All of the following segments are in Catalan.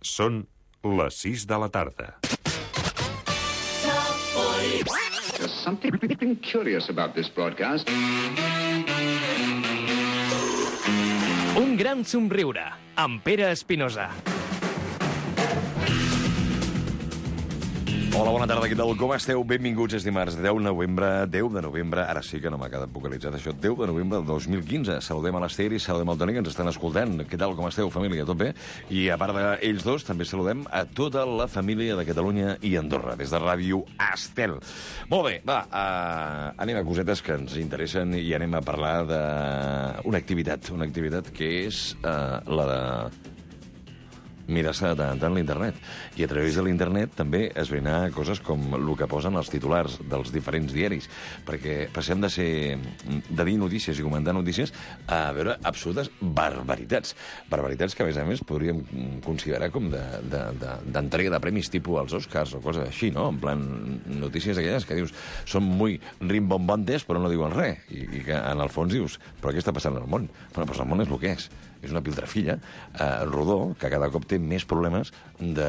Són les 6 de la tarda. There's something curious about this broadcast. Un gran somriure, amb Pere Espinosa. Hola, bona tarda, què tal? Com esteu? Benvinguts, és dimarts 10 de novembre, ara sí que no m'ha quedat vocalitzat això, 10 de novembre del 2015. Saludem a l'Ester i saludem al Toni, que ens estan escoltant. Què tal, com esteu, família? Tot bé? I a part d'ells dos, també saludem a tota la família de Catalunya i Andorra, des de Ràdio Estel. Molt bé, va, anem a cosetes que ens interessen i anem a parlar d'una activitat que és la de mirar-se de tant l'internet. I a través de l'internet també esbrinar coses com el que posen els titulars dels diferents diaris, perquè passem de dir notícies i comentar notícies a veure absolutes barbaritats. Barbaritats que, a més, podríem considerar com d'entrega de premis tipus als Oscars o coses així, no? En plan, notícies aquelles que dius són molt rimbombantes però no diuen res. I que en el fons dius, però què està passant al món? Bueno, doncs el món és el que és. És una piltrafilla rodó que cada cop té més problemes de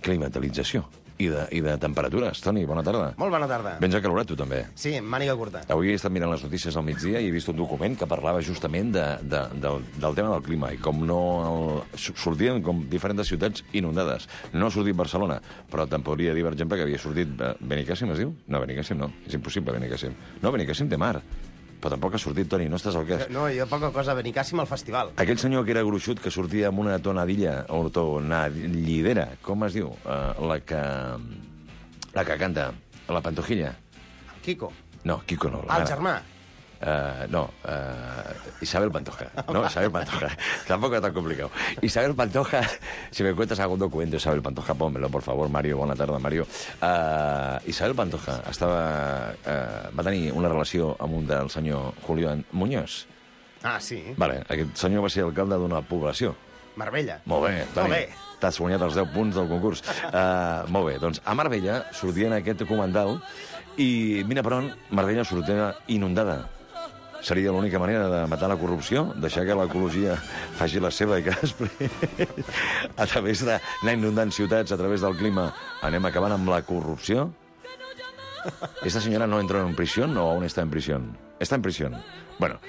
climatalització i de temperatures. Toni, bona tarda. Molt bona tarda. Vens acalorat, tu també. Sí, màniga curta. Avui he estat mirant les notícies al migdia i he vist un document que parlava justament del tema del clima i com sortien com diferents ciutats inundades. No ha sortit Barcelona, però te'n podria dir, per exemple, que havia sortit Benicàssim, es diu? No, Benicàssim no. És impossible, Benicàssim. No, Benicàssim té mar. Però tampoc ha sortit, Toni, no estàs al cas. No, jo poca cosa, Benicàssim al festival. Aquell senyor que era gruixut, que sortia amb una tonadilla, o tonadillidera, com es diu? La que canta, la Pantojilla. Quico. No, Quico no. El germà. Isabel Pantoja. No, Isabel Pantoja. Tampoco es tan complicado. Isabel Pantoja, si me cuentas algún documento, Isabel Pantoja, pónmelo, por favor, Mario. Bona tarda, Mario. Isabel Pantoja va tenir una relació amb un del senyor Julián Muñoz. Ah, sí? Vale, aquest senyor va ser alcalde d'una població. Marbella. Molt bé, Toni. Molt bé. T'has guanyat els 10 punts del concurs. Molt bé, doncs a Marbella sortia en aquest documental i, mira per on, Marbella sortia inundada. Seria l'única manera de matar la corrupció, deixar que l'ecologia faci la seva i que després, a través d'anar inundant ciutats, a través del clima, anem acabant amb la corrupció. ¿Esta señora no entró en prisión o aún está en prisión? Está en prisión. Bueno,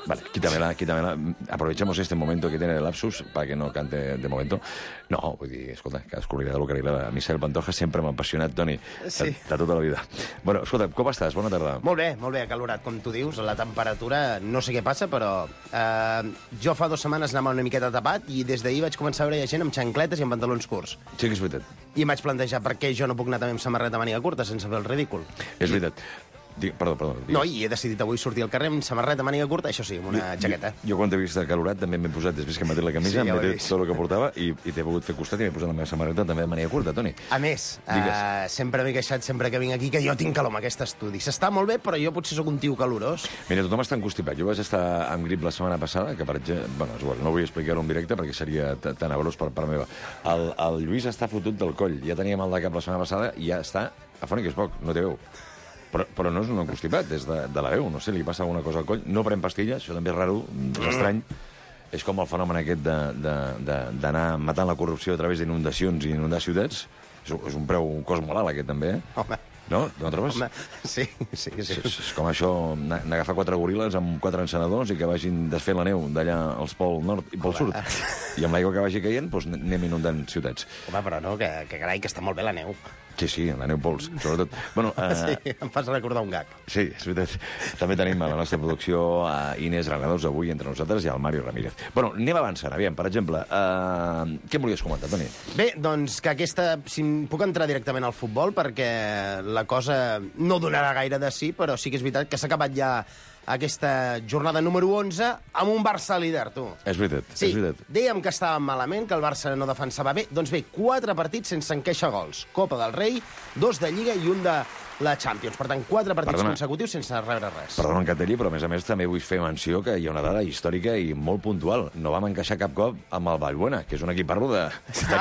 vale, quítamela. Aprovechamos este momento que tiene el lapsus para que no cante de momento. No, vull dir, escolta, cadascú li agrada el que li agrada. A mi Isabel Pantoja sempre m'ha apassionat, Toni, sí. de tota la vida. Bueno, escolta, com estàs? Bona tarda. Molt bé, acalorat, com tu dius. La temperatura, no sé què passa, però jo fa 2 setmanes anava una miqueta tapat i des d'ahir vaig començar a veure gent amb xancletes i amb pantalons curts. Sí que és veritat. I em vaig plantejar per què jo no puc anar també amb samarreta màniga curta sense fer el ridícul. És veritat. Perdó. No, i he decidit avui sortir al carrer amb samarreta màniga curta, això sí, amb una jaqueta. Jo quan t'he vist acalorat també m'he posat, després que m'he tret la camisa, sí, m'he tret tot el que portava i t'he pogut fer costat i m'he posat la meva samarreta també de màniga curta, Toni. A més, sempre m'he queixat, sempre que vinc aquí, que jo tinc calor amb aquest estudi. S'està molt bé, però jo potser sóc un tio calorós. Mira, tothom està encostipat. Jo vaig estar amb grip la setmana passada, que per exemple... Bueno, és igual, no vull explicar-ho en directe perquè seria tenebrós per part meva. El Lluís està fotut del coll. Ja tenia mal de cap la setmana passada i ja està afònic, és poc, no té veu. Però no és un encostipat, és de la veu, no sé, li passa alguna cosa al coll. No pren pastilles, això també és raro, és estrany. És com el fenomen aquest d'anar matant la corrupció a través d'inundacions i inundar ciutats. És un cost molt alt, aquest, també, eh? Home. No? No trobes? Home, sí. És com això, n'agafar 4 goril·les amb 4 encenedors i que vagin desfent la neu d'allà als pol nord i pol sud. I amb l'aigua que vagi caient, doncs anem inundant ciutats. Home, però no, que carai, que està molt bé la neu. Sí, la neu pols, sobretot. Bueno, sí, em fas recordar un gag. Sí, és veritat. També tenim a la nostra producció a Inés Granados avui entre nosaltres i al Mario Ramírez. Bueno, anem avançant, aviam, per exemple, què em volies comentar, Toni? Bé, doncs que si puc entrar directament al futbol, perquè la cosa no donarà gaire de sí, però sí que és veritat que s'ha acabat ja aquesta jornada número 11 amb un Barça líder, tu. És veritat, sí, és veritat. Dèiem que estàvem malament, que el Barça no defensava bé. Doncs bé, 4 partits sense encaixar gols. Copa del Rei, 2 de Lliga i un de la Champions. Per tant, 4 partits Perdona. consecutius sense rebre res. Perdona, Encanteri, però a més també vull fer menció que hi ha una dada històrica i molt puntual. No vam encaixar cap cop amb el Vallbona, que és un equip parlo de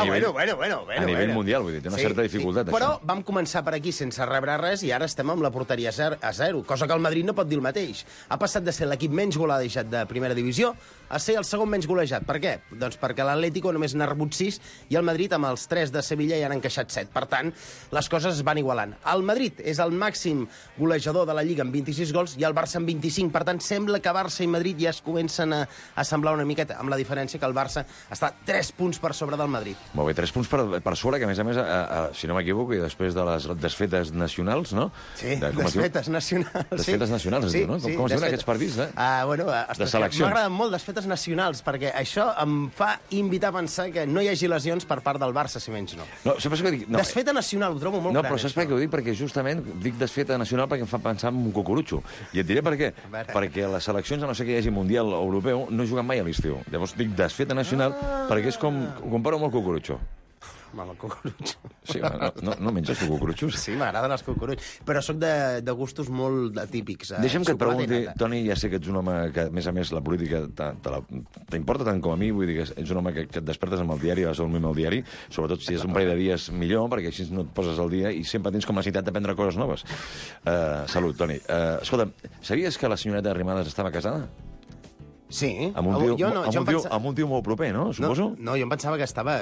nivell, a nivell mundial, vull dir, té una certa dificultat, però això. vam començar per aquí sense rebre res i ara estem amb la porteria a 0, cosa que el Madrid no pot dir el mateix. Ha passat de ser l'equip menys golejat de primera divisió a ser el segon menys golejat. Per què? Doncs perquè l'Atlético només n'ha rebut 6 i el Madrid, amb els 3 de Sevilla, ja han encaixat 7. Per tant, les coses es van igualant. El Madrid és el màxim golejador de la Lliga amb 26 gols i el Barça amb 25. Per tant, sembla que Barça i Madrid ja es comencen a semblar una miqueta, amb la diferència que el Barça està 3 punts per sobre del Madrid. Molt bé, 3 punts per sobre, que a més, si no m'equivoco, i després de les desfetes nacionals, no? Sí, desfetes nacionals. Desfetes nacionals, es diu, no? Com es diuen aquests partits, eh? De seleccions. M'agraden molt desfetes nacionals, perquè això em fa invitar a pensar que no hi hagi lesions per part del Barça, si menys no. No, saps què dic? No, desfeta nacional, ho trobo molt gran. No, però saps per què ho dic? Perquè justament dic desfeta nacional perquè em fa pensar en un cucurutxo. I et diré per què. Perquè les seleccions, a no ser que hi hagi Mundial Europeu, no juguen mai a l'estiu. Llavors dic desfeta nacional perquè és com... Ho comparo amb el cucurutxo. Amb el cucurutxo. Sí, no menges tu cucurutxos? Sí, m'agraden els cucurutxos, però sóc de gustos molt atípics. Deixa'm que et pregunti, Toni, ja sé que ets un home que, a més, la política t'importa tant com a mi, vull dir que ets un home que et despertes amb el diari, vas a dormir amb el diari, sobretot si és un parell de dies millor, perquè així no et poses al dia i sempre tens com la necessitat d'aprendre coses noves. Salut, Toni. Escolta, sabies que la senyoreta Arrimadas estava casada? Sí. Amb un tio molt proper, no? Suposo? No, jo em pensava que estava...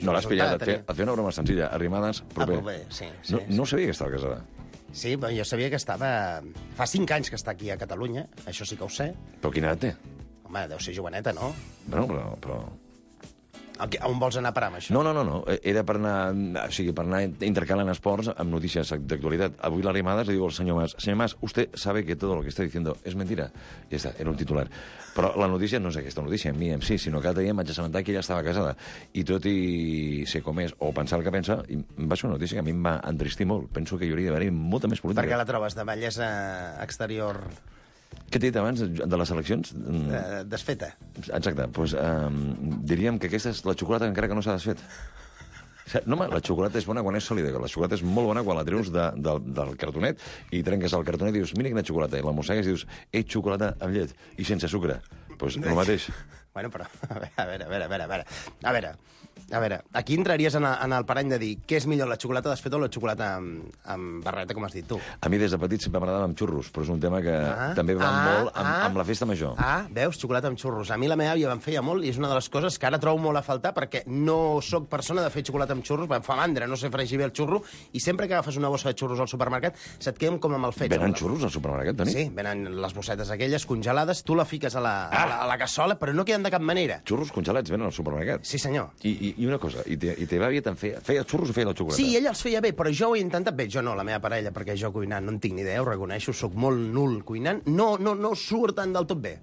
No l'has pillat, et feia una broma senzilla. Arrimadas, proper. Sí. No sabia que estava casada. Sí, però jo sabia que estava... Fa 5 anys que està aquí a Catalunya, això sí que ho sé. Però quina edat té? Home, deu ser joveneta, no? Bueno, però... On vols anar a parar amb això? No. Era per anar intercalant esports amb notícies d'actualitat. Avui la Arrimadas le digo al senyor Mas, señor Mas, usted sabe que todo lo que está diciendo es mentira. Ja està, era un titular. Però la notícia no és aquesta notícia, en mi en si, sinó que l'altre dia em vaig assabentar que ella estava casada. I tot i ser com és, o pensar el que pensa, va ser una notícia que a mi em va entristir molt. Penso que hi hauria d'haver molta més política. Per què la trobes de bellesa exterior... Què t'he dit abans de les eleccions? Desfeta. Exacte. Doncs diríem que aquesta és la xocolata encara que no s'ha desfet. No, la xocolata és bona quan és sòlida, la xocolata és molt bona quan la treus del cartonet i trenques el cartonet i dius, mira quina xocolata, i la mossegues i dius, xocolata amb llet i sense sucre. Doncs el mateix. Bueno, però, a veure, aquí entraries en el parany de dir què és millor, la xocolata desfeta o la xocolata amb barreta, com has dit tu? A mi des de petit sempre m'agradava amb xurros, però és un tema que també va molt amb la festa major. Veus, xocolata amb xurros. A mi la meva àvia em feia molt i és una de les coses que ara trobo molt a faltar perquè no sóc persona de fer xocolata amb xurros, em fa mandra, no sé fregir bé el xurro, i sempre que agafes una bossa de xurros al supermercat se't queden com amb el fetge. Venen xurros al supermercat, Toni? Sí, venen les bossetes aquelles congelades, tu la fiques a la cassola, però no queden de cap manera. Xurros congelats venen al supermercat? Sí, senyor. I una cosa, i teva àvia te'n feia xurros o feia la xocolata? Sí, ella els feia bé, però jo ho he intentat bé. Jo no, la meva parella, perquè jo cuinant no en tinc ni idea, ho reconeixo, sóc molt nul cuinant. No surten del tot bé.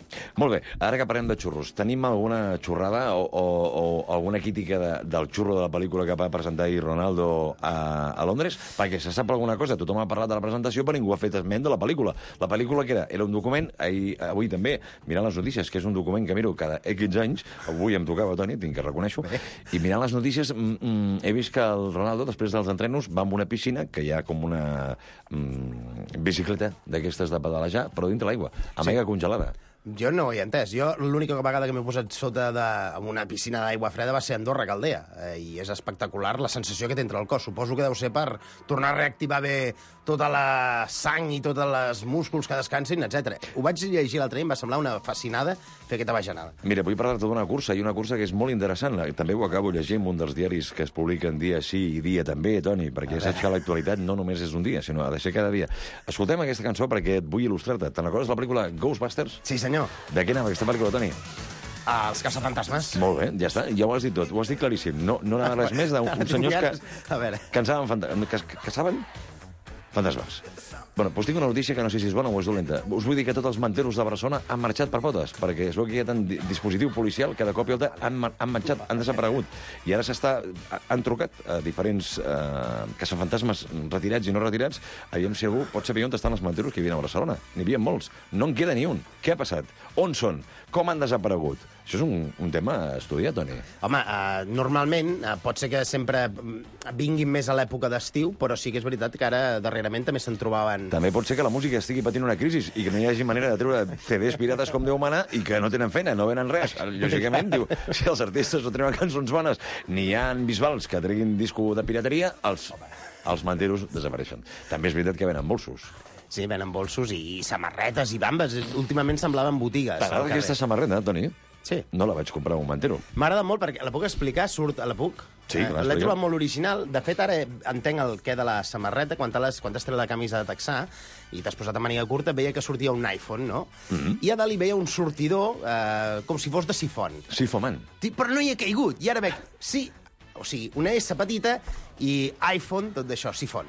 Molt bé, ara que parlem de xurros, tenim alguna xurrada o alguna crítica del xurro de la pel·lícula que va presentar ahir Ronaldo a Londres? Perquè se sap alguna cosa, tothom ha parlat de la presentació, però ningú ha fet esment de la pel·lícula. La pel·lícula que era un document, avui també, mirant les notícies, que és un document que miro cada X anys, avui em tocava, Toni, tinc que reconèixer-ho, i mirant les notícies he vist que el Ronaldo, després dels entrenos, va a una piscina, que hi ha com una bicicleta d'aquestes de pedalejar, però dintre l'aigua, mega congelada. Jo no ho he entès. Jo l'única vegada que m'he posat sota una piscina d'aigua freda va ser a Andorra, Caldea, i és espectacular la sensació que té entre el cos. Suposo que deu ser per tornar a reactivar bé tota la sang i tots els músculs que descansin, etc. Ho vaig llegir l'altre dia i em va semblar una fascinada fer aquesta bajanada. Mira, vull parlar-te d'una cursa, i una cursa que és molt interessant. També ho acabo llegint en un dels diaris que es publiquen dia sí i dia també, Toni, perquè ja saps que l'actualitat no només és un dia, sinó ha de ser cada dia. Escoltem aquesta cançó perquè et vull il·lustrar-te. Te'n recordes la pel·lícula Ghostbusters? Sí, senyor. De què anava aquesta pel·lícula, Toni? Els caçafantasmes. Molt bé, ja està, ja ho has dit tot, ho has dit claríssim. No anava res més d'un senyors que caçaven fantasmes. Bueno, doncs tinc una notícia que no sé si és bona o és dolenta. Us vull dir que tots els manteros de Barcelona han marxat per potes, perquè es veu que hi ha tant dispositiu policial que de cop i volta han marxat, han desaparegut. I ara han trucat a diferents caçafantasmes retirats i no retirats, aviam si algú pot saber on estan els manteros que hi havia a Barcelona. N'hi havia molts. No en queda ni un. Què ha passat? On són? Com han desaparegut? Això és un tema a estudiar, Toni. Home, normalment pot ser que sempre vinguin més a l'època d'estiu, però sí que és veritat que ara darrerament també se'n trobaven... També pot ser que la música estigui patint una crisi i que no hi hagi manera de treure CDs pirates com Déu mana i que no tenen feina, no venen res. Lògicament, diu, si els artistes no treuen cançons bones ni hi ha bisbals que treguin disco de pirateria, els manteros desapareixen. També és veritat que venen bolsos. Sí, venen bolsos i samarretes i bambes. Últimament semblaven botigues. T'agrada aquesta samarreta, Toni? Sí. No la vaig comprar a un mantero. M'agrada molt perquè la puc explicar, surt a la puc. Sí, clar, L'he explica. trobat molt original. De fet, ara entenc el què de la samarreta. Quan t'has tret la camisa de texà i t'has posat a màniga curta, veia que sortia un iPhone, no? I a dalt hi veia un sortidor com si fos de sifon. Sifomant. Però no hi he caigut. I ara veig, sí, o sigui, una S petita i iPhone, tot d'això, sifon.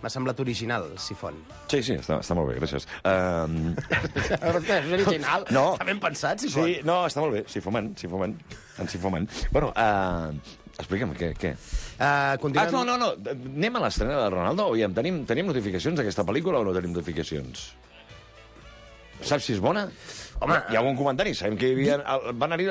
M'ha semblat original, sifon. Sí, està molt bé, gràcies. És original. No. Està ben pensat, sifon. Sí, no, està molt bé. Sifomant. En sifomant. Bueno, explica'm, què? Continuem... No. Anem a l'estrena de Ronaldo. Aviam, tenim notificacions d'aquesta pel·lícula o no tenim notificacions? Saps si és bona? Home, hi ha algun comentari? Sabem que hi havia... Van anar-hi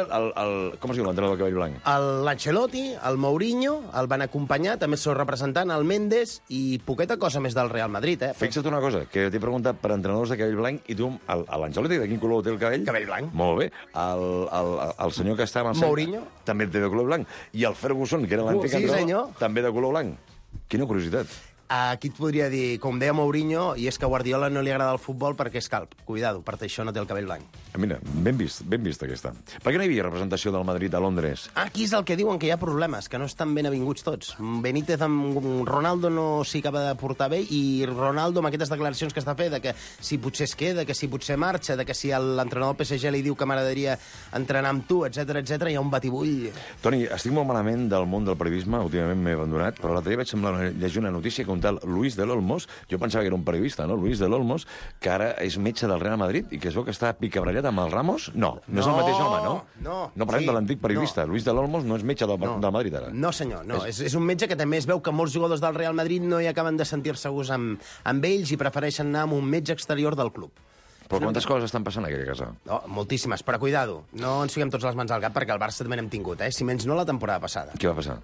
com es diu l'entrenador del cabell blanc? L'Ancelotti, el Mourinho, el van acompanyar, també el seu representant, el Méndez, i poqueta cosa més del Real Madrid, eh? Fixa't una cosa, que t'he preguntat per entrenadors de cabell blanc i tu, l'Ancelotti, de quin color té el cabell? Cabell blanc. Molt bé. El senyor que està amb el Mourinho. també té de color blanc. I el Ferguson, que era l'antic Sí, entrenador, senyor. també de color blanc. Quina curiositat. Aquí et podria dir, com deia Mourinho, i és que a Guardiola no li agrada el futbol perquè és calp. Cuidado, per això no té el cabell blanc. Mira, ben vist aquesta. Per què no hi havia representació del Madrid a Londres? Aquí és el que diuen, que hi ha problemes, que no estan ben avinguts tots. Benítez amb Ronaldo no s'hi acaba de portar bé, i Ronaldo amb aquestes declaracions que està fent, de que si potser es queda, que si potser marxa, de que si l'entrenador del PSG li diu que m'agradaria entrenar amb tu, etc hi ha un batibull. Toni, estic molt malament del món del periodisme, últimament m'he abandonat, però l'altre dia vaig semblar llegir una notícia que un tal Luis de l'Olmos, jo pensava que era un periodista, no? Luis de l'Olmos, que ara és metge del Real Madrid i que es veu que està picabrellat amb el Ramos. No és el mateix home, no? No, parlem sí, de l'antic periodista. Luis de l'Olmos no és metge del Madrid, ara. No, senyor, no. És un metge que també es veu que molts jugadors del Real Madrid no hi acaben de sentir-se segurs amb ells i prefereixen anar amb un metge exterior del club. Però quantes coses estan passant a aquella casa? No, moltíssimes, però cuidado. No ens fiquem tots les mans al cap perquè el Barça també n'hem tingut, si menys no la temporada passada. Què va passar?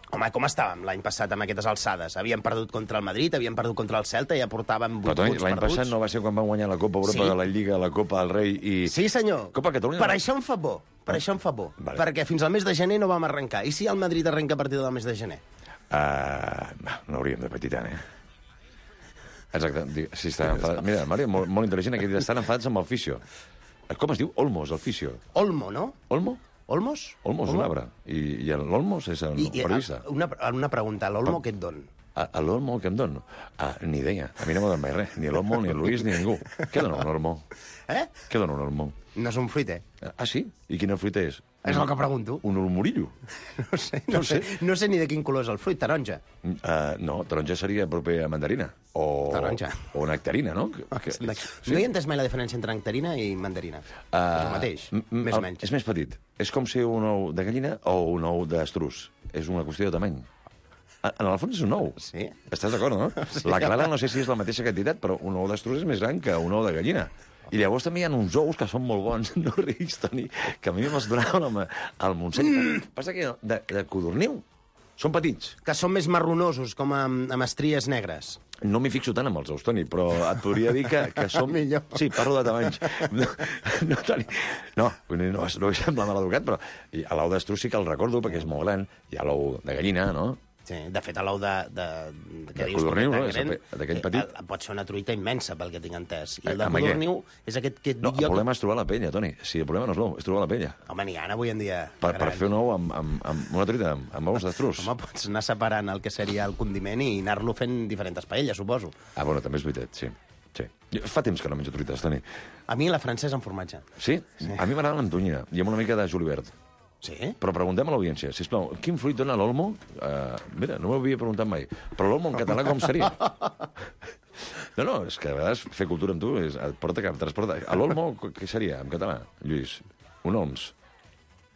Home, com estàvem l'any passat amb aquestes alçades? Havíem perdut contra el Madrid, havíem perdut contra el Celta i ja portàvem 8 Però, Toni, punts l'any perduts. passat no va ser quan van guanyar la Copa Europa, Sí. la Lliga, la Copa del Rei i... Sí, senyor. Copa Catalunya. Per això em fa por. Vale. Perquè fins al mes de gener no vam arrencar. I si el Madrid arrenca a partir del mes de gener? No hauríem de patir tant, Exacte. Sí, està enfadat. Mira, Mario, molt intel·ligent, aquest dia estan enfadats amb el fisio. Com es diu? Olmos, el fisio. Olmo, no? Olmo? Olmos? Olmos, un arbre. I l'Olmos és el periodista. Una pregunta, l'Olmo què et don? A l'Olmo què em dono? Ni idea. A mi no m'ho don mai res. Ni l'Olmo, ni el Luis, ni ningú. Què dona un Olmo? Què dona un Olmo? No és un fruit, Sí? I quina fruita és? És el que pregunto. Un olmorillo? No sé ni de quin color és el fruit, taronja. No, taronja seria proper a mandarina. Taronja. O nectarina, no? No he entès mai la diferència entre nectarina i mandarina. És el mateix, més o menys. És més petit. És com ser un ou de gallina o un ou d'estrus. És una qüestió de tamany. En el fons és un ou. Sí. Estàs d'acord, no? Sí. La clara no sé si és la mateixa quantitat, però un ou d'estrus és més gran que un ou de gallina. I llavors també hi ha uns ous que són molt bons, no riguis, Toni, que a mi me'ls donaven al Montseny. Passa que de codorniu són petits. Que són més marronosos, com amb estries negres. No m'hi fixo tant amb els ous, Toni, però et podria dir que som... Millor. Sí, parlo de tamanys. No, Toni, no vull semblar mal educat, però l'ou d'estrus sí que el recordo, perquè és molt gran. Hi ha l'ou de gallina, no? Sí, de fet, l'ou de codorniu, no? D'aquell petit. Pot ser una truita immensa, pel que tinc entès. I el de Amb codorniu és aquest que... No, el problema és trobar la penya, Toni. Sí, el problema no és l'ou, és trobar la penya. Home, n'hi ha avui en dia. Per fer un ou amb una truita, amb ous d'estrus. Home, pots anar separant el que seria el condiment i anar-lo fent diferents paelles, suposo. Bueno, també és veritat, sí. Fa temps que no menjo truites, Toni. A mi la francesa amb formatge. Sí? A mi m'agrada amb tonyina i amb una mica de julivert. Sí? Però preguntem a l'audiència, sisplau, quin fruit dona l'olmo? Mira, no m'ho havia preguntat mai. Però l'olmo en català com seria? No, és que a vegades fer cultura amb tu et transporta. A l'olmo, què seria en català, Lluís? Un olms.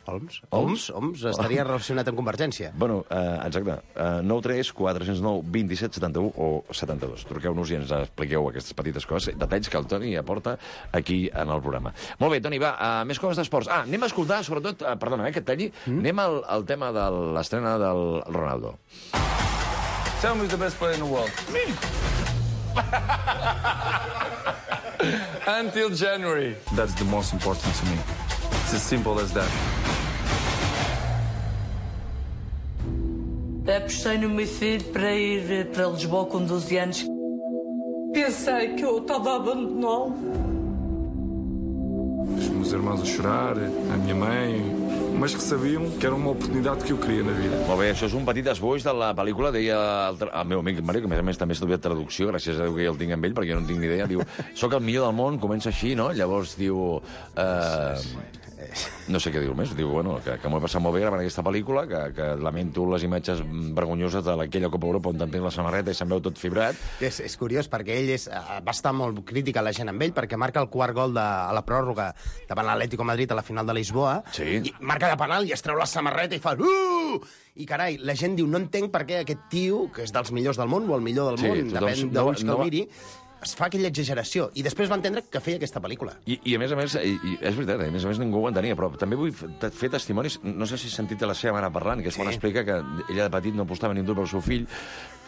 Oms estaria relacionat amb Convergència. Bueno, exacte. 93 409 27 71 o 72. Truqueu-nos i ens expliqueu aquestes petites coses, detalls que el Toni aporta aquí en el programa. Molt bé, Toni, va, més coses d'esports. Anem a escoltar, sobretot, perdona, que et talli, anem al tema de l'estrena del Ronaldo. Tell me who's the best player in the world. Me. Until January. That's the most important to me. It's as simple as that. Apostei no meu filho para ir para Lisboa com 12 anos. Pensei que eu estava a abandoná-lo. Os meus irmãos a chorar, a minha mãe, mas que sabiam que era uma oportunidade que eu queria na vida. Molt bé, això és un petit esboix de la pel·lícula, deia el meu amic Mario, que a més també ha estudiat traducció, gràcies a Déu que ja el tinc amb ell, perquè jo no en tinc ni idea, diu, soc el millor del món, comença així, no? Llavors diu... no sé què diu més, diu, bueno, que m'ho he passat molt bé gravant aquesta pel·lícula, que lamento les imatges vergonyoses d'aquella Copa Europa on te'n tens la samarreta i se'n veu tot fibrat. És curiós, perquè ell va estar molt crític a la gent amb ell, perquè marca el quart gol a la pròrroga davant l'Atlético Madrid a la final de Lisboa, sí. I marca de penal i es treu la samarreta i fa... I, carai, la gent diu, no entenc per què aquest tio, que és dels millors del món, o el millor del món, depèn d'on que el miri, es fa aquella exageració. I després va entendre que feia aquesta pel·lícula. I a més, és veritat, a més ningú ho entenia, però també vull fer testimonis, no sé si has sentit la seva mare parlant, que és quan explica que ella de petit no apostava ni un dur pel seu fill,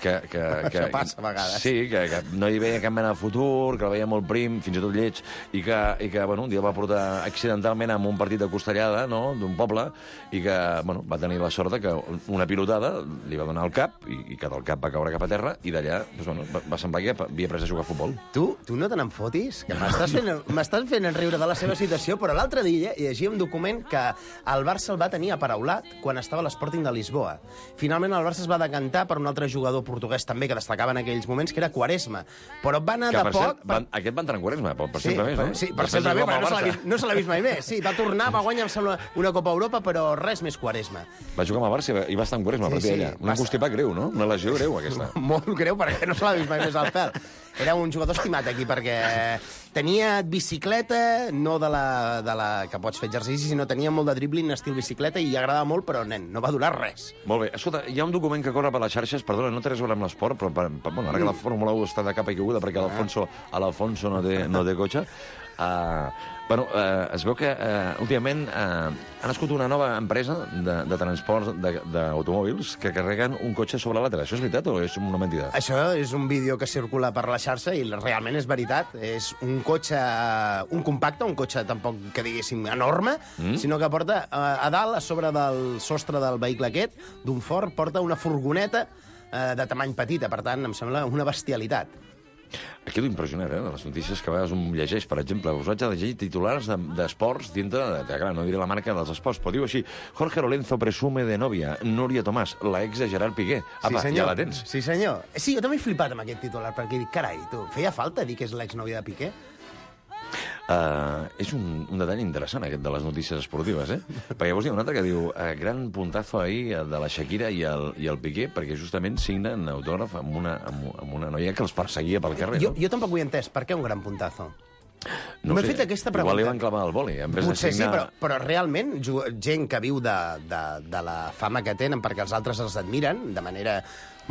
això passa a vegades. Sí, que no hi veia cap mena de futur, que el veia molt prim, fins i tot lleig, i que bueno, un dia el va portar accidentalment a un partit de costellada, no?, d'un poble, i que bueno, va tenir la sort que una pilotada li va donar al cap, i que del cap va caure cap a terra, i d'allà doncs, bueno, va semblar que havia après a jugar a futbol. Tu no te n'enfotis, que m'estàs fent enriure de la seva situació, però l'altre dia llegia un document que el Barça el va tenir aparaulat quan estava a l'Sporting de Lisboa. Finalment el Barça es va decantar per un altre jugador portuguès també que destacava en aquells moments, que era Quaresma. Però va anar de poc... Aquest va entrar en Quaresma, per sempre més, no? Sí, per sempre més, però no se l'ha vist mai més. Sí, va tornar, va guanyar, em sembla, una Copa Europa, però res més Quaresma. Va jugar amb el Barça i va estar en Quaresma a partir d'allà. Una constipat greu, no? Una lesió greu, aquesta. Molt greu, perquè no se l'ha vist mai més al pèl. Era un jugador estimat aquí, perquè tenia bicicleta, no de la que pots fer exercici, sinó tenia molt de dribbling, estil bicicleta, i agradava molt, però, nen, no va durar res. Molt bé. Escolta, hi ha un document que corre per les xarxes, perdona, no té res a veure amb l'esport, però bueno, ara que la Fórmula 1 està de capa i caiguda perquè l'Alfonso no té cotxe, bueno, es veu que últimament ha nascut una nova empresa de transport d'automòbils que carreguen un cotxe sobre l'altre. Això és veritat o és una mentida? Això és un vídeo que circula per la xarxa i realment és veritat. És un cotxe, un compacte, un cotxe tampoc que diguéssim enorme, sinó que porta a dalt, a sobre del sostre del vehicle aquest, d'un Ford, porta una furgoneta de tamany petita. Per tant, em sembla una bestialitat. Quedo impressionat, de les notícies que a vegades un llegeix. Per exemple, us vaig a llegir titulars d'esports dintre clar, no diré la marca dels esports, però diu així: Jorge Lorenzo presume de novia, Núria Tomàs, la ex de Gerard Piqué. Apa, ja la tens. Sí, senyor. Sí, jo també he flipat amb aquest titular, perquè dic, carai, tu, feia falta dir que és l'exnòvia de Piqué? És un detall interessant, aquest de les notícies esportives, perquè llavors hi ha un altre que diu gran puntazo ahir de la Shakira i el Piqué, perquè justament signen autògraf amb una noia que els perseguia pel carrer. Jo tampoc ho he entès. Per què un gran puntazo? No m'he fet aquesta pregunta. Igual li van clavar el boli. Potser sí, però realment gent que viu de la fama que tenen perquè els altres els admiren de manera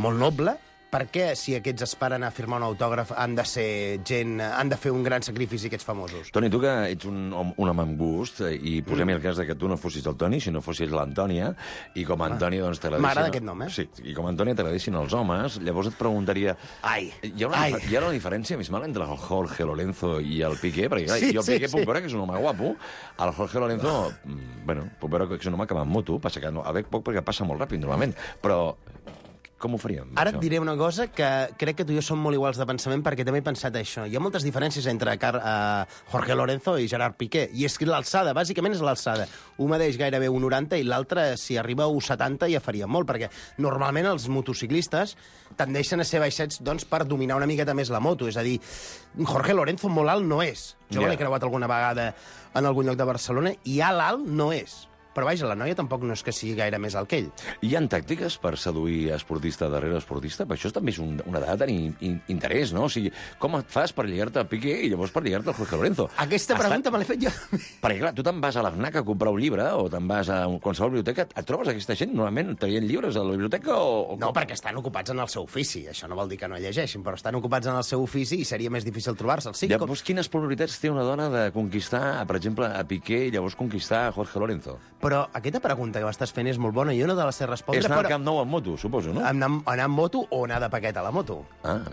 molt noble, per què, si aquests esperen a firmar un autògraf, han de fer un gran sacrifici, aquests famosos? Toni, tu que ets un home amb gust, i posem-hi el cas que tu no fossis el Toni, sinó fossis l'Antònia, i com a Antònia doncs t'agradessin... M'agrada aquest nom, Sí, i com a Antònia t'agradessin els homes, llavors et preguntaria... Hi ha una diferència abismal entre el Jorge Lorenzo i el Piqué? Perquè clar, jo el Piqué puc veure que és un home guapo, el Jorge Lorenzo, bueno, puc veure que és un home que va amb moto, passa que no, a veig poc perquè passa molt ràpid, normalment, però... Com ho faríem? Ara et diré una cosa que crec que tu i jo som molt iguals de pensament, perquè també he pensat això. Hi ha moltes diferències entre Jorge Lorenzo i Gerard Piqué, i és que l'alçada, bàsicament és l'alçada. Un mateix gairebé 1,90 i l'altre, si arriba a 1,70, ja faria molt, perquè normalment els motociclistes tendeixen a ser baixets doncs, per dominar una miqueta més la moto. És a dir, Jorge Lorenzo molt alt no és. Jo l'he creuat alguna vegada en algun lloc de Barcelona, i alt no és. però vaja, la noia tampoc no és que sigui gaire més alt que ell. Hi ha tàctiques per seduir esportista darrere esportista? Per això també és una dada de tenir interès, no? O sigui, com et fas per lligar-te a Piqué i llavors per lligar-te a Jorge Lorenzo? Aquesta pregunta me l'he fet jo. Perquè, clar, tu te'n vas a l'FNAC a comprar un llibre o te'n vas a qualsevol biblioteca, et trobes aquesta gent normalment traient llibres a la biblioteca o... No, perquè estan ocupats en el seu ofici. Això no vol dir que no llegeixin, però estan ocupats en el seu ofici i seria més difícil trobar-se'ls. Sí, llavors, quines probabilitats té una dona de conquistar, per exemple, a Piqué i llavors conquistar a Jorge Lorenzo? Però aquesta pregunta que m'estàs fent és molt bona i jo no te la sé respondre. És anar al Camp Nou amb moto, suposo, no? Anar amb moto o anar de paquet a la moto.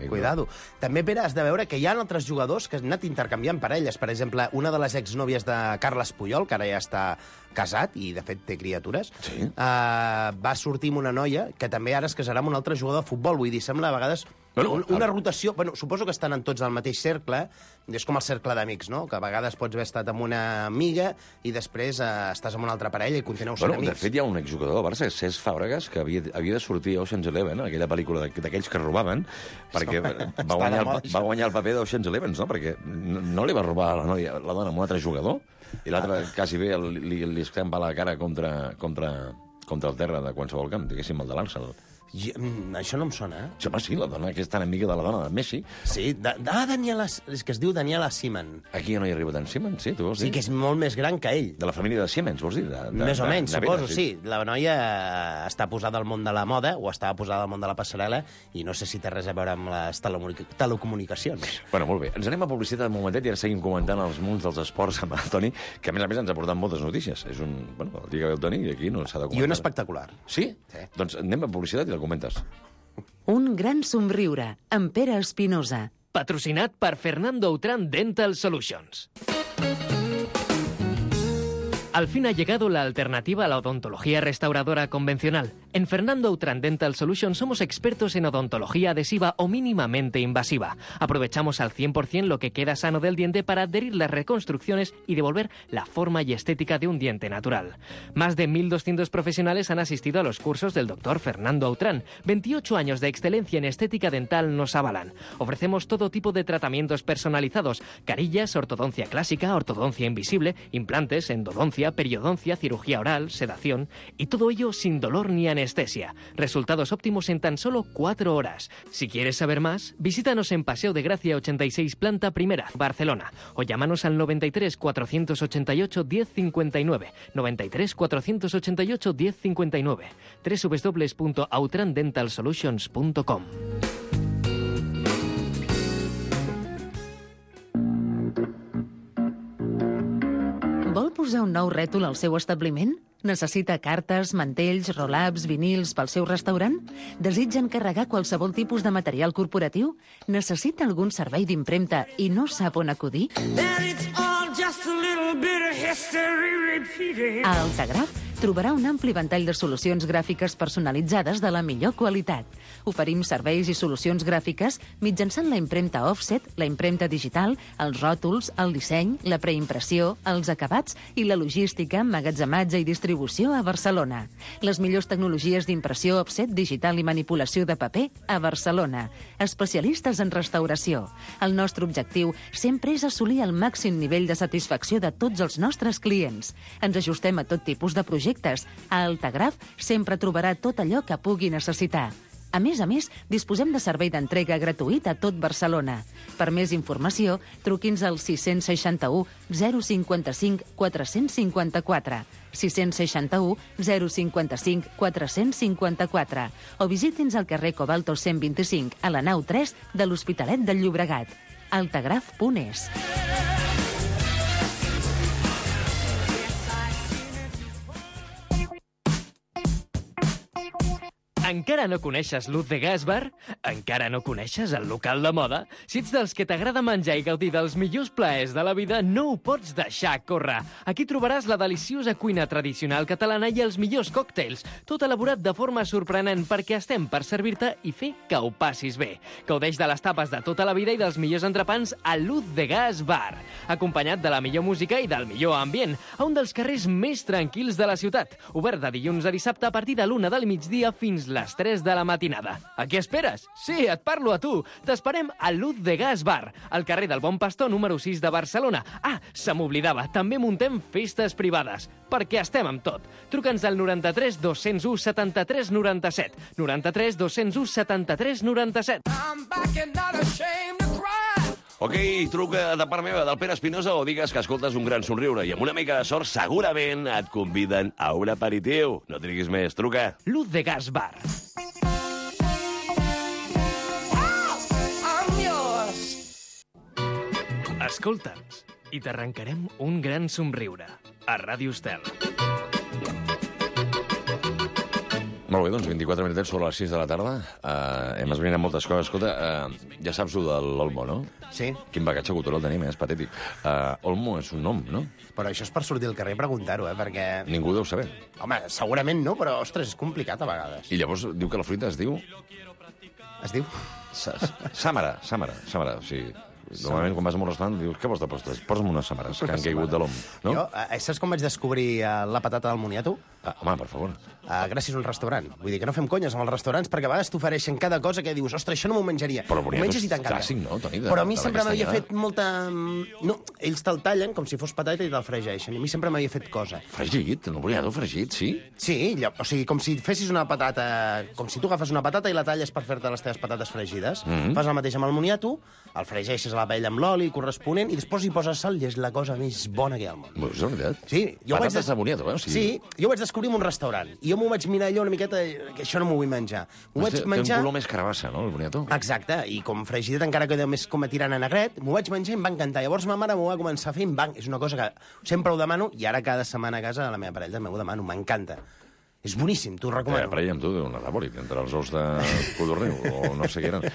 Cuidado. També, Pere, has de veure que hi ha altres jugadors que han anat intercanviant parelles. Per exemple, una de les exnòvies de Carles Puyol, que ara ja està casat i, de fet, té criatures, va sortir amb una noia que també ara es casarà amb un altre jugador de futbol. Vull dir, sembla a vegades una rotació... Bueno, suposo que estan en tots al mateix cercle, és com el cercle d'amics, no? Que a vegades pots haver estat amb una amiga i després estàs amb una altra parella i continueu sent amics. De fet, hi ha un exjugador del Barça, Cesc Fàbregas, que havia de sortir a Ocean's Eleven, aquella pel·lícula d'aquells que robaven, perquè va guanyar el paper d'Ocean's Eleven, no? Perquè no li va robar a la dona amb un altre jugador, i l'altre quasi bé li escampa la cara contra el terra de qualsevol camp, diguéssim, el de l'Arsenal. Això no em sona, eh? Home, sí, la dona que és tan amiga de la dona de Messi. Sí, Daniela... És que es diu Daniela Seaman. Aquí no hi arriba tant Siemens, sí, tu vols dir? Sí, que és molt més gran que ell. De la família de Siemens, vols dir? Més o menys, suposo, sí. La noia està posada al món de la moda, o estava posada al món de la passarel·la, i no sé si té res a veure amb les telecomunicacions. Bueno, molt bé. Ens anem a publicitat un momentet i ara seguim comentant els munts dels esports amb el Toni, que a més ens ha portat moltes notícies. És el dia que ve el Toni i aquí no s'ha de comentar. I un espectacular. Sí? Doncs anem a publicitat i la comentes. Un gran somriure, amb Pere Espinosa. Patrocinat per Fernando Outram Dental Solutions. Al fin ha llegado la alternativa a la odontología restauradora convencional. En Fernando Outram Dental Solutions somos expertos en odontología adhesiva o mínimamente invasiva. Aprovechamos al 100% lo que queda sano del diente para adherir las reconstrucciones y devolver la forma y estética de un diente natural. Más de 1.200 profesionales han asistido a los cursos del doctor Fernando Outram. 28 años de excelencia en estética dental nos avalan. Ofrecemos todo tipo de tratamientos personalizados: carillas, ortodoncia clásica, ortodoncia invisible, implantes, endodoncia, periodoncia, cirugía oral, sedación, y todo ello sin dolor ni anestesia. Resultados óptimos en tan solo 4 horas. Si quieres saber más, visítanos en Paseo de Gracia 86, planta primera, Barcelona, o llámanos al 93 488 1059, 93 488 1059, www.outramdentalsolutions.com. Vol posar un nou rètol al seu establiment? Necessita cartes, mantells, roll-ups, vinils pel seu restaurant? Desitja encarregar qualsevol tipus de material corporatiu? Necessita algun servei d'impremta i no sap on acudir? A Altagraf trobarà un ampli ventall de solucions gràfiques personalitzades de la millor qualitat. Oferim serveis i solucions gràfiques mitjançant la impremta offset, la impremta digital, els ròtols, el disseny, la preimpressió, els acabats i la logística, emmagatzematge i distribució a Barcelona. Les millors tecnologies d'impressió offset, digital i manipulació de paper a Barcelona. Especialistes en restauració. El nostre objectiu sempre és assolir el màxim nivell de satisfacció de tots els nostres clients. Ens ajustem a tot tipus de projectes. A Altagraf sempre trobarà tot allò que pugui necessitar. A més, disposem de servei d'entrega gratuït a tot Barcelona. Per més informació, truqui'ns al 661 055 454, 661 055 454, o visiti'ns al carrer Cobalto 125, a la nau 3 de l'Hospitalet del Llobregat. altagraf.es. Encara no coneixes Luz de Gas Bar? Encara no coneixes el local de moda? Si ets dels que t'agrada menjar i gaudir dels millors plaers de la vida, no ho pots deixar córrer. Aquí trobaràs la deliciosa cuina tradicional catalana i els millors còctels, tot elaborat de forma sorprenent perquè estem per servir-te i fer que ho passis bé. Gaudeix de les tapes de tota la vida i dels millors entrepans a Luz de Gas Bar, acompanyat de la millor música i del millor ambient, a un dels carrers més tranquils de la ciutat, obert de dilluns a dissabte a partir de l'1 del migdia fins les les 3 de la matinada. A què esperes? Sí, et parlo a tu. T'esperem a Luz de Gas Bar, al carrer del Bon Pastor número 6 de Barcelona. Ah, se m'oblidava, també muntem festes privades, perquè estem amb tot. Truca'ns al 93 201 73 97. 93 201 73 97. Ok, truca de part meva, del Pere Espinosa, o digues que escoltes un gran somriure i amb una mica de sort segurament et conviden a un aperitiu. No triguis més, truca. Luz de Gas Bar. Escolta'ns i t'arrencarem un gran somriure a Ràdio Estel. Molt bé, doncs 24 minutets sobre les 6 de la tarda. Hem esbrinat moltes coses. Escolta, ja saps el de l'Olmo, no? Sí. Quin bagatge cultural tenim, és patètic. Olmo és un nom, no? Però això és per sortir al carrer i preguntar-ho, perquè... Ningú deu saber. Home, segurament no, però, ostres, és complicat a vegades. I llavors diu que la fruita es diu... Es diu? Sàmara. O sigui, normalment quan vas a un restaurant dius, què vols de postres? Posa'm unes sàmares que han caigut de l'om, no? Jo, saps com vaig descobrir la patata del moniato? Home, per favor. Gràcies a un restaurant. Vull dir que no fem conyes amb els restaurants, perquè a vegades t'ofereixen cada cosa que dius, ostres, això no m'ho menjaria. Però ho menges i t'encanta. clàssic, no, Toni? Però a mi sempre m'havia fet molta... No, ells te'l tallen com si fos patata i te'l fregeixen. I a mi sempre m'havia fet cosa. Fregit? No volia fregit, sí? Sí, o sigui, com si fessis una patata... Com si tu agafes una patata i la talles per fer-te les teves patates fregides. Fas el mateix amb el moniato, el fregeixes a la paella amb l'oli corresponent i després hi poses sal i és la cosa més bona que hi ha al món. És veritat? Sí. Patates de moniato, eh? Sí, jo ho vaig descobrir en un restaurant. I jo m'ho vaig mirar allò una miqueta, que això no m'ho vull menjar. M'ho vaig menjar... Té un color més carabassa, no, el boniato? Exacte, i com fregidet encara queda més com a tirant a negret, m'ho vaig menjar i em va encantar. Llavors ma mare m'ho va començar a fer i és una cosa que sempre ho demano, i ara cada setmana a casa a la meva parella també ho demano, m'encanta. És boníssim, t'ho recomano. Parella amb tu, una rabòlic, entre els ous de codorniu, o no sé què eren.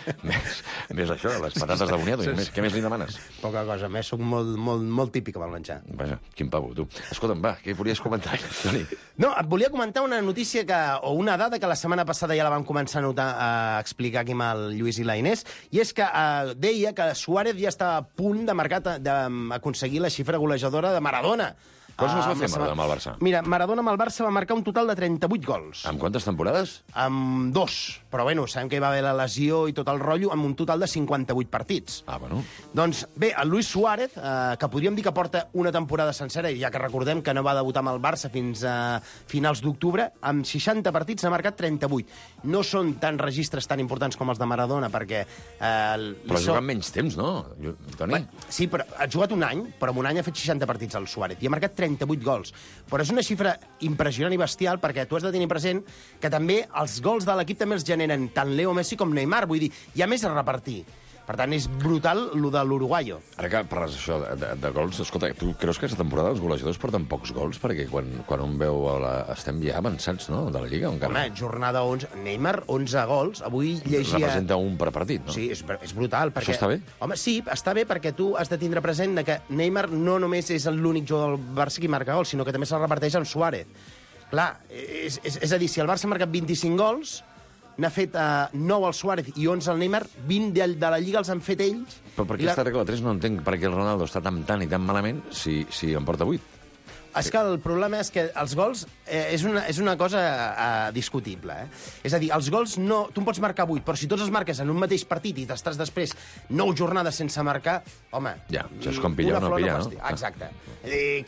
Més això, les patates de boniato. Què més li demanes? Poca cosa, més soc molt típic amb el menjar. Vaja, quin pavo, tu. Escolta'm, va, què volies comentar, Toni? No, et volia comentar una notícia o una dada que la setmana passada ja la vam començar a explicar aquí amb el Lluís i la Inés, i és que deia que Suárez ja està a punt d'aconseguir la xifra golejadora de Maradona. Quants es va fer Maradona amb el Barça? Mira, Maradona amb el Barça va marcar un total de 38 gols. Amb quantes temporades? Amb 2. Però bueno, sabem que hi va haver la lesió i tot el rotllo, amb un total de 58 partits. Bueno. Doncs bé, el Luis Suárez, que podríem dir que porta una temporada sencera, ja que recordem que no va debutar amb el Barça fins a finals d'octubre, amb 60 partits n'ha marcat 38. No són tan registres tan importants com els de Maradona, perquè... Però ha jugat menys temps, no, Toni? Sí, però ha jugat un any, però en un any ha fet 60 partits el Suárez, i ha marcat 38 gols. Però és una xifra impressionant i bestial, perquè tu has de tenir present que també els gols de l'equip també els generen tant Leo Messi com Neymar. Vull dir, hi ha més a repartir. Per tant, és brutal lo de l'uruguaio. Ara que parles això de gols, escolta, tu creus que aquesta temporada els golejadors porten pocs gols? Perquè quan un veu... Estem ja avançats, no?, de la Lliga. Home, jornada 11... Neymar, 11 gols. Avui llegia... Representa un per partit, no? Sí, és brutal. Perquè... Això està bé? Home, sí, està bé perquè tu has de tindre present que Neymar no només és l'únic jugador del Barça qui marca gols, sinó que també se'l reparteix amb Suárez. Clar, és a dir, si el Barça ha marcat 25 gols... n'ha fet 9 al Suárez i 11 al Neymar, 20 de la Lliga els han fet ells. Però per aquesta regla 3 no entenc per què el Ronaldo està tan i tan malament si en porta 8. És que el problema és que els gols és una cosa discutible. És a dir, els gols no... Tu en pots marcar 8, però si tots els marques en un mateix partit i t'estàs després 9 jornades sense marcar, home... Ja, això és com pillar o no pillar, no? Exacte.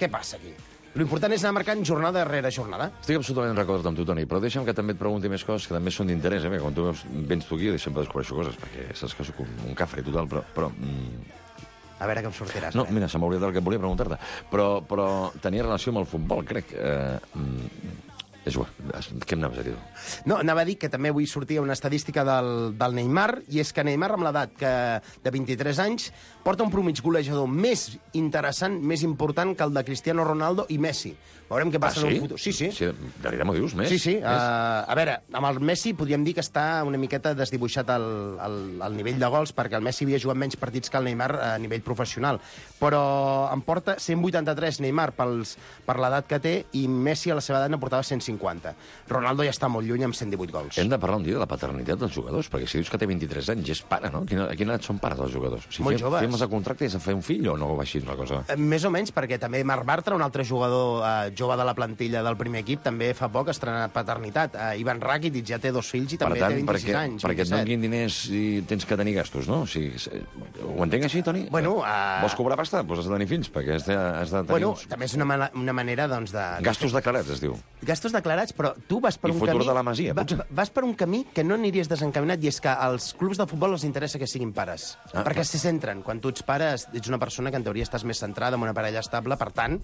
Què passa aquí? L'important és anar marcant jornada darrere jornada. Estic absolutament d'acord amb tu, Toni, però deixa'm que també et pregunti més coses que també són d'interès, perquè quan tu vens tu aquí sempre descobreixo coses, perquè saps que soc un cafre total, però A veure què em sortiràs. No, mira, se m'ha oblidat el que volia preguntar-te, però tenia relació amb el futbol, crec. És igual, què em anaves a dir? No, anava a dir que també avui sortia una estadística del Neymar, i és que Neymar, amb l'edat de 23 anys, porta un promig golejador més interessant, més important que el de Cristiano Ronaldo i Messi. Veurem què passa en un futur. Sí. De veritat m'ho dius, més? Sí. A veure, amb el Messi podríem dir que està una miqueta desdibuixat al nivell de gols, perquè el Messi havia jugat menys partits que el Neymar a nivell professional. Però em porta 183 Neymar per l'edat que té, i Messi a la seva edat ne portava 150. 50. Ronaldo ja està molt lluny amb 118 gols. Hem de parlar un dia de la paternitat dels jugadors, perquè si dius que té 23 anys, és pare, no? A quina edat són pares els jugadors? Si Molt joves. Firmes el contracte i has de fer un fill o no va així la cosa? Més o menys, perquè també Marc Bartra, un altre jugador jove de la plantilla del primer equip, també fa poc ha estrenat paternitat. Ivan Rakitic ja té 2 fills i també té 26 anys. Perquè et donin diners i tens que tenir gastos, no? O sigui, ho entenc així, Toni? Bueno, vols cobrar pasta? Doncs has de tenir fills, perquè has de tenir bueno, també és una manera, doncs, de... Gastos declarats, es diu. Gastos declarats, però tu vas per I un futur camí... de la Masia, potser. Vas per un camí que no aniries desencaminat, i és que als clubs de futbol els interessa que siguin pares. Perquè se centren. Quan tu ets pare, ets una persona que en teoria estàs més centrada en una parella estable, per tant,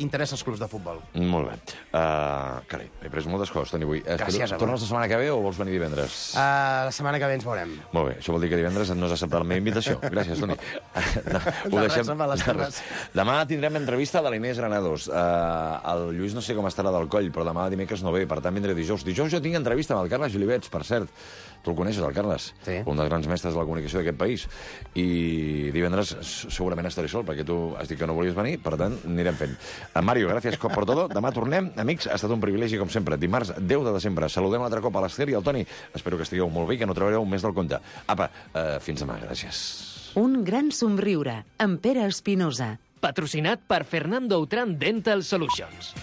interessa els clubs de futbol. Molt bé. Carai, he pres moltes coses, Toni, avui. Gràcies, home. Tornes la setmana que ve o vols venir divendres? La setmana que ve ens veurem. Molt bé, això vol dir que divendres no has acceptat la meva invitació. Gràcies, Toni. Ho deixem. Demà tindrem entrevista de l'Inés Granados. El Lluís no sé com estarà del coll, però demà dimecres no ve, per tant vindré dijous. Dijous jo tinc entrevista amb el Carles Julivets, per cert. Tu el coneixes, el Carles? Sí. Un dels grans mestres de la comunicació d'aquest país. I divendres segurament estaré sol, perquè tu has dit que no volies venir, per tant, anirem fent. Mario, gràcies per tot. Demà tornem. Amics, ha estat un privilegi, com sempre. Dimarts, 10 de desembre. Saludem l'altre cop a l'Ester i al Toni. Espero que estigueu molt bé i que no treballareu més del compte. Apa, fins demà. Gràcies. Un gran somriure, amb Pere Espinosa. Patrocinat per Fernando Outram Dental Solutions.